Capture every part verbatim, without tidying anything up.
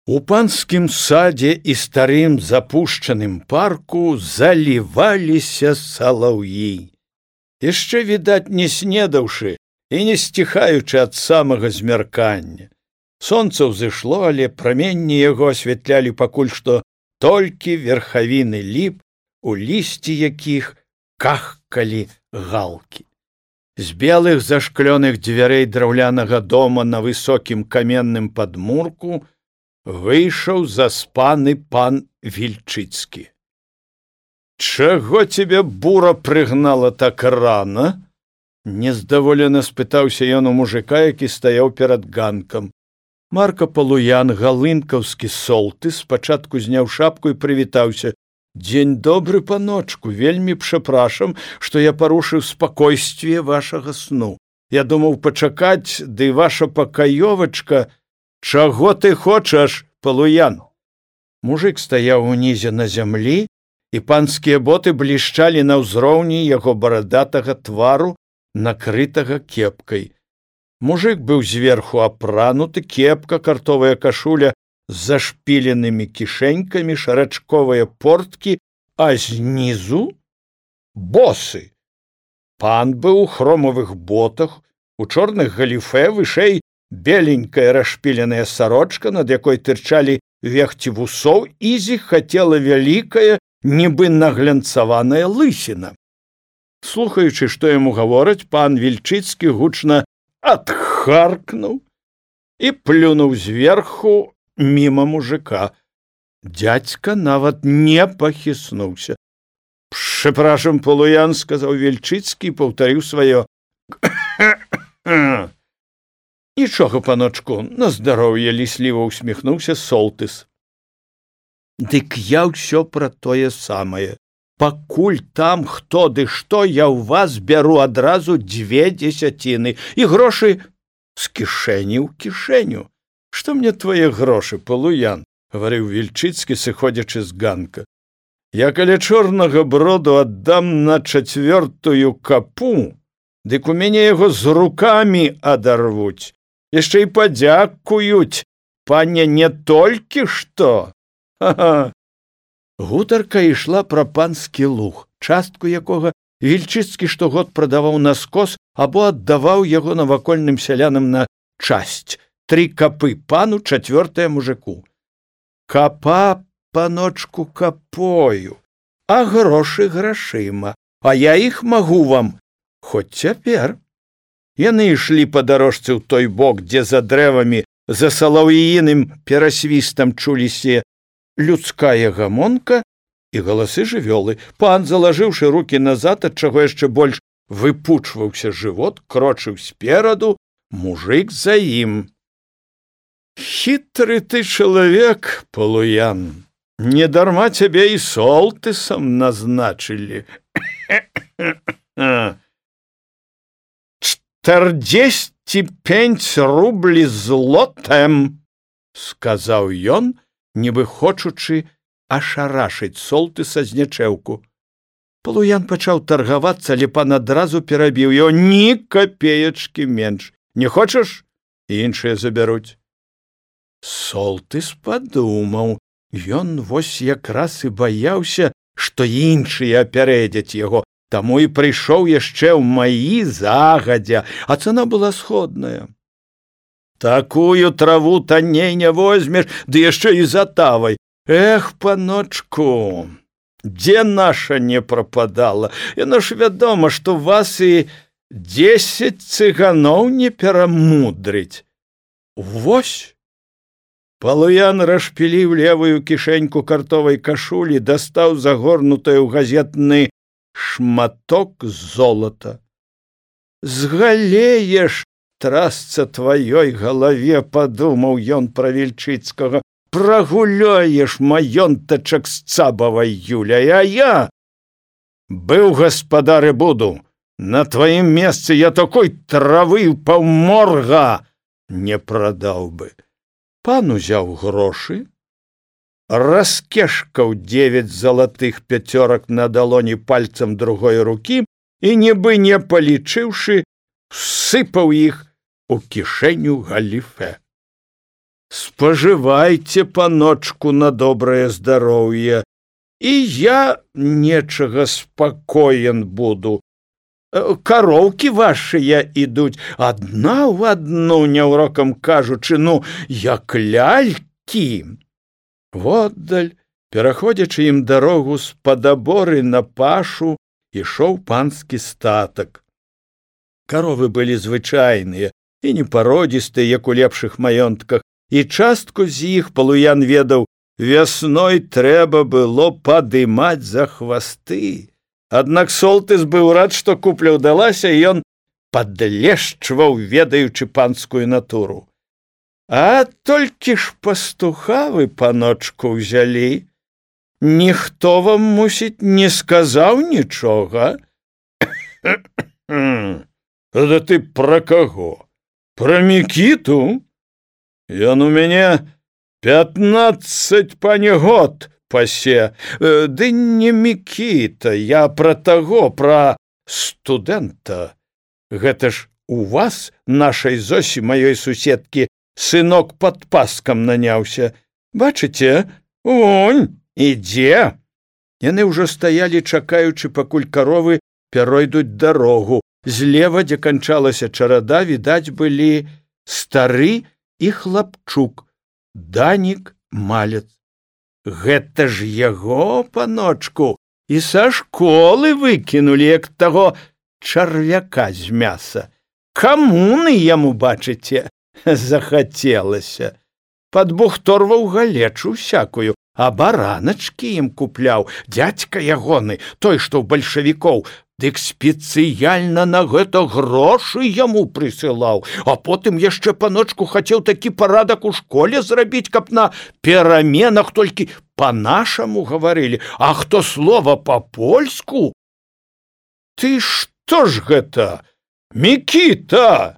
У панскім садзе і старым запушчаным парку заліваліся салаўі. Яшчэ, відаць, не снедаўшы і не сціхаючы ад самага змяркання. Сонца ўзышло, але праменні яго асвятлялі пакуль што толькі верхавіны ліп, у лісці якіх кахкалі галкі. З белых зашклёных дзвярэй драўлянага дома на высокім каменным падмурку выйшаў заспаны пан Вільчыцкі. «Чаго цябе бура прыгнала так рана?» — нездаволена спытаўся ён у мужика, які стаяў перад ганкам. Марка Палуян, галынкаўскі солтыс, спачатку зняў шапку і прывітаўся. «Дзень добры, паночку, вельмі прашам, што я парушыў спакойствие вашага сну. Я думаў пачакаць, ды ваша пакаёвачка...» «Чаго ты хочаш, Палуян?» Мужик стаяў унізе на зямлі, і панскія боты блішчалі на ўзроўні яго барадатага твару, накрытага кепкай. Мужик быў зверху апрануты, кепка, картовая кашуля з зашпіленымі кішэнькамі, шарачковыя порткі, а знізу босы. Пан быў у хромавых ботах, у чорных галіфе, вышэй беленькая расшпіленая сарочка, над якой тырчалі вехці вусоў, і зіхацела вялікая, нібы наглянцаваная лысіна. Слухаючы, што яму гавораць, пан Вільчыцкі гучна адхаркнуў і плюнуў зверху міма мужика. Дзядзька нават не пахіснуўся. «Прашам, Палуян», — сказаў Вільчыцкі і паўтарыў сваё. «Нічога, паночку, на здароўе», — лісліва ўсміхнуўся солтыс. «Дык я ўсё пра тое самае. Пакуль там хто ды што, я ў вас бяру адразу дзве дзесяціны, і грошы з кішэні ў кішэню. Што мне твае грошы, Палуян?» — гаварыў Вільчыцкі, сыходзячы з ганка. «Я каля чорнага броду аддам на чацвёртую капу, дык у мяне яго з рукамі адарвуць. Яшчэ і падзякуюць, пане, не толькі што!» Ха-ха! Гутарка ішла пра панскі луг, частку якога Вільчыцкі штогод прадаваў на скос або аддаваў яго навакольным сялянам на часць. Тры капы пану, чацвёртая мужику. «Капа, паночку, капою, а грошы грашыма, а я іх магу вам хоць цяпер». Яны ішлі па дарожцы ў той бок, дзе за дрэвамі, за салаўіным перасвістам чуліся людская гамонка і галасы жывёлы. Пан, залажыўшы рукі назад, ад чаго яшчэ больш выпучваўся жывот, крочыў спераду, мужик за ім. «Хітры ты чалавек, Палуян, недарма цябе і солтысам назначылі. «Чатырдзесьці пяць рублі злотем», — сказаў ён, нібы хочучы ашарашыць солтыса з нячэўку. Палуян пачаў таргавацца, але пан адразу перабіў яго. «Ні капеечкі менш. Не хочаш? Іншыя забяруць». Солтыс падумаў. Ён вось якраз і баяўся, што іншыя апярэдзяць яго, таму і прыйшоў яшчэ ў маі загадзя, а цана была сходная. «Такую траву танней не возьмеш, ды яшчэ і за тавай. Эх, паночку, дзе наша не прападала? Яно ж вядома, што вас і дзесяць цыганоў не перамудрыць. Вось!» Палуян расшпіліў левую кішэньку картовай кашулі, дастаў загорнутае ў газетны шматок золата. «Згалееш, трасца тваёй галаве», — падумаў ён пра Вільчыцкага, «прагуляеш маёнтачак з цабавай Юляй, а я быў гаспадар і буду. На тваім месцы я такой травы паўморга не прадаў бы». Пан узяў грошы, раскешкаў девять залатых пяцёрак на далоні пальцам другой рукі і, нібы не палічыўшы, сыпаў іх у кішэню галіфе. З спажывайце, паночку, на добрае здароўе, і я нечага спакоен буду. Кароўкі вашыя ідуць адна ў адну, няўрокам кажучы, ну, як лялькі. Воддаль, пераходзячы ім дарогу з-пад аборы на пашу, ішоў панскі статак. Каровы былі звычайныя і непародзістыя, як у лепшых маёнтках, і частку з іх Палуян ведаў, вясной трэба было падымаць за хвасты. Аднак Солтыс быў рад, што купля ўдалася, і ён падлешчваў, ведаючы панскую натуру. А толькі ж пастуха вы, паночку, ўзялі. Ніхто вам, мусіць, не сказаў нічога? Да ты пра каго? Пра Мікіту? Ён у мяне пятнаццаць панегод пасе. Ды не Мікіта, я пра таго, пра студэнта. Гэта ж у вас, нашай Зосі, маёй суседкі, сынок пад паскам наняўся. Бачыце? Вунь, ідзе. Яны ўжо стаялі, чакаючы, пакуль каровы перайдуць дарогу. Злева, дзе канчалася чарада, відаць былі стары і хлапчук, Данік малец. Гэта ж яго, паночку, і са школы выкінулі, як таго чарвяка з мяса. Камуны яму, бачыце, захацелася. Падбухторваў галечу всякую, а бараначкі ім купляў. Дзядзька ягоны, той, што ў бальшавікоў, дык спецыяльна на гэта грошы яму прысылаў, а потым яшчэ, паночку, хацеў такі парадак у школе зрабіць, каб на пераменах толькі па-нашаму гаварылі, а хто слова па-польску? Ты што ж гэта, Мікіта?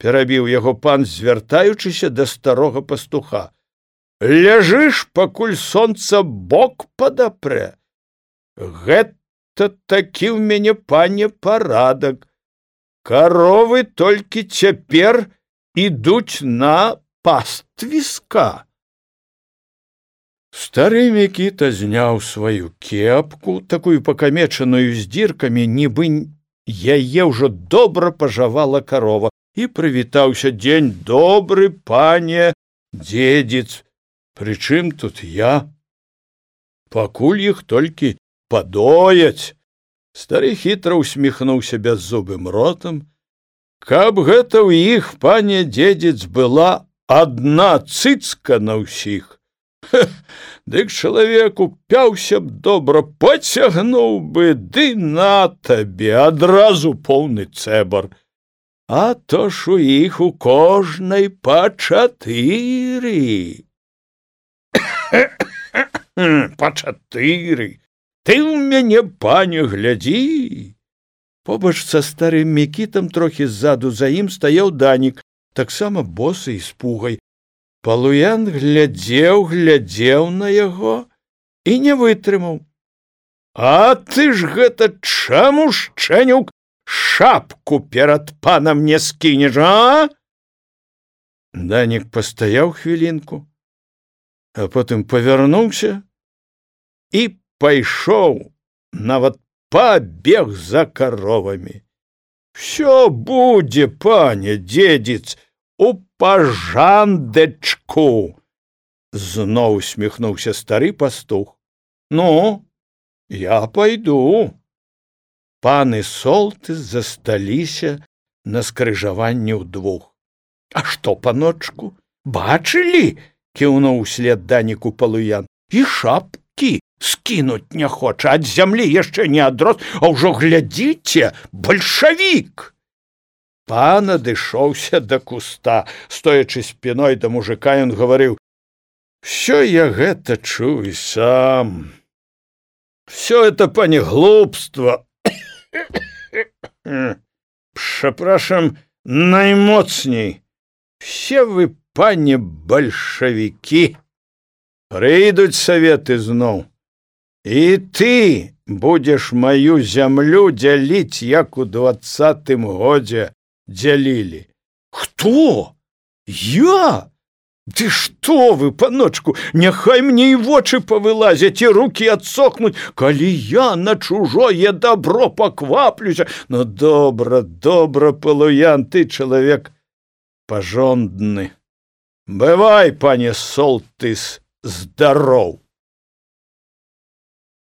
Перабіў яго пан, звяртаючыся да старога пастуха. Ляжыш, пакуль сонца бок падапрэ. Гэта такі ў мяне, пане, парадак. Каровы толькі цяпер ідуць на паствіска. Стары Мікіта зняў сваю кепку, такую пакамечаную з дзіркамі, нібы яе ўжо добра пажавала карова, і прывітаўся. Дзень добры, пане дзедзіц. Прычым тут я? Пакуль іх толькі падояць. Стары хітра усміхнуўся бяззубым ротам. Каб гэта ў іх, пане дзедзіц, была адна цыцка на ўсіх. Дык чалавек упяўся б добра, пацягнуў бы, ды на табе адразу поўны цэбар. А то ж у іх у кожнай па чатыры. Па чатыры. Ты ў мяне, пане, глядзі. Побач са старым Мікітам, трохі ззаду за ім, стаяў Данік, таксама босы і з пугай. Палуян глядзеў, глядзеў на яго і не вытрымаў. А ты ж гэта чаму, шчэнюк, шапку перад панам не скінеш, а? Данік пастаяў хвілінку, а потым павярнуўся і пайшоў, нават пабег за каровамі. Всё будзе, пане дзедзіц, у пажандэчку. Зноў усміхнуўся стары пастух. Ну, я пайду. Пан і Солтыс засталіся на скрыжаванні ўдвух. А што, паночку, бачылі? Кіўнуў услед Даніку Палуян. І шапкі скінуць не хоча, ад зямлі яшчэ не адрос, а ўжо глядзіце, бальшавік. Пан адышоўся да куста, стоячы спіной да мужика, ён гаварыў: «Всё я гэта чую сам. Всё это, пане, глупство. Прzepraszam наймоцней. Все вы, пане, бальшавікі. Прыйдуць саветы зноў. І ты будзеш маю зямлю дзяліць, як у двадцатым годзе дзялілі». «Хто? Я? Ды што вы, паночку, няхай мне і вочы павылазяць, і рукі адсохнуць, калі я на чужое добро пакваплюся. Ну, добра, добра, Палуян, ты чалавек пажондны. Бывай, пане Солтыс, здароў.